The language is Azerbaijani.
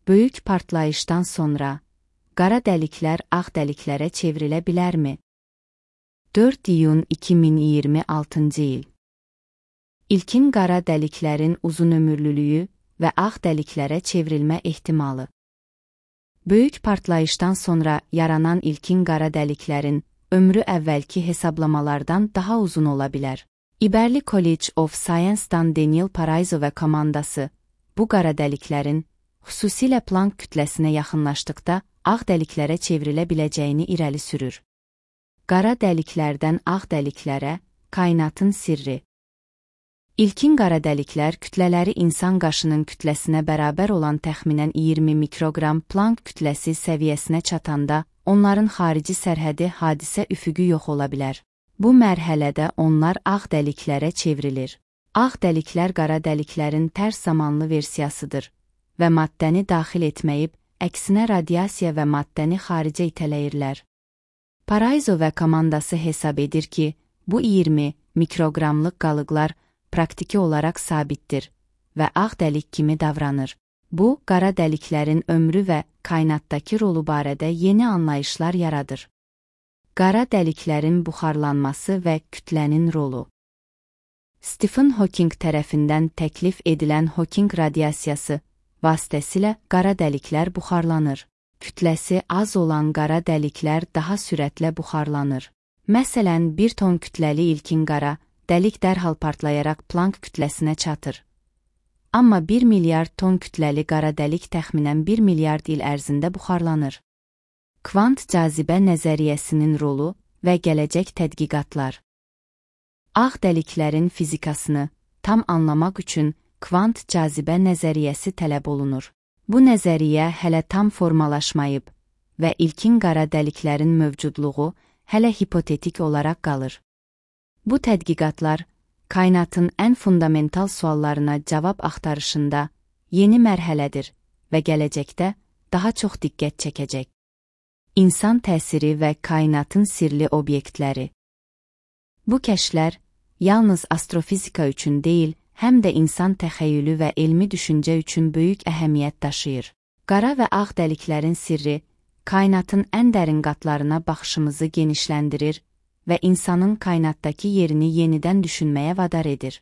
Böyük partlayışdan sonra qara dəliklər ağ dəliklərə çevrilə bilərmi? 4 iyun 2026 il. İlkin qara dəliklərin uzunömürlülüyü və ağ dəliklərə çevrilmə ehtimalı. Böyük partlayışdan sonra yaranan ilkin qara dəliklərin ömrü əvvəlki hesablamalardan daha uzun ola bilər. İberli College of Science-dan Daniel Paraiso və komandası bu qara dəliklərin xüsusilə Planck kütləsinə yaxınlaşdıqda ağ dəliklərə çevrilə biləcəyini irəli sürür. Qara dəliklərdən ağ dəliklərə kainatın sirri. İlkin qara dəliklər kütlələri insan qaşının kütləsinə bərabər olan təxminən 20 mikroqram Planck kütləsi səviyyəsinə çatanda onların xarici sərhədi hadisə üfüqü yox ola bilər. Bu mərhələdə onlar ağ dəliklərə çevrilir. Ağ dəliklər qara dəliklərin tərs zamanlı versiyasıdır və maddəni daxil etməyib, əksinə radiasiya və maddəni xaricə itələyirlər. Paraiso və komandası hesab edir ki, bu 20 mikroqramlıq qalıqlar praktiki olaraq sabitdir və ağ dəlik kimi davranır. Bu, qara dəliklərin ömrü və kainatdakı rolu barədə yeni anlayışlar yaradır. Qara dəliklərin buxarlanması və kütlənin rolu. Stephen Hawking tərəfindən təklif edilən Hawking radiasiyası vasitəsilə qara dəliklər buxarlanır. Kütləsi az olan qara dəliklər daha sürətlə buxarlanır. Məsələn, 1 ton kütləli ilkin qara dəlik dərhal partlayaraq Planck kütləsinə çatır. Amma 1 milyard ton kütləli qara dəlik təxminən 1 milyard il ərzində buxarlanır. Kvant cazibə nəzəriyyəsinin rolu və gələcək tədqiqatlar. Ağ dəliklərin fizikasını tam anlamaq üçün kvant cazibə nəzəriyyəsi tələb olunur. Bu nəzəriyyə hələ tam formalaşmayıb və ilkin qara dəliklərin mövcudluğu hələ hipotetik olaraq qalır. Bu tədqiqatlar kainatın ən fundamental suallarına cavab axtarışında yeni mərhələdir və gələcəkdə daha çox diqqət çəkəcək. İnsan təsiri və kainatın sirli obyektləri. Bu kəşflər yalnız astrofizika üçün deyil, həm də insan təxəyyülü və elmi düşüncə üçün böyük əhəmiyyət daşıyır. Qara və ağ dəliklərin sirri, kainatın ən dərin qatlarına baxışımızı genişləndirir və insanın kainatdakı yerini yenidən düşünməyə vadar edir.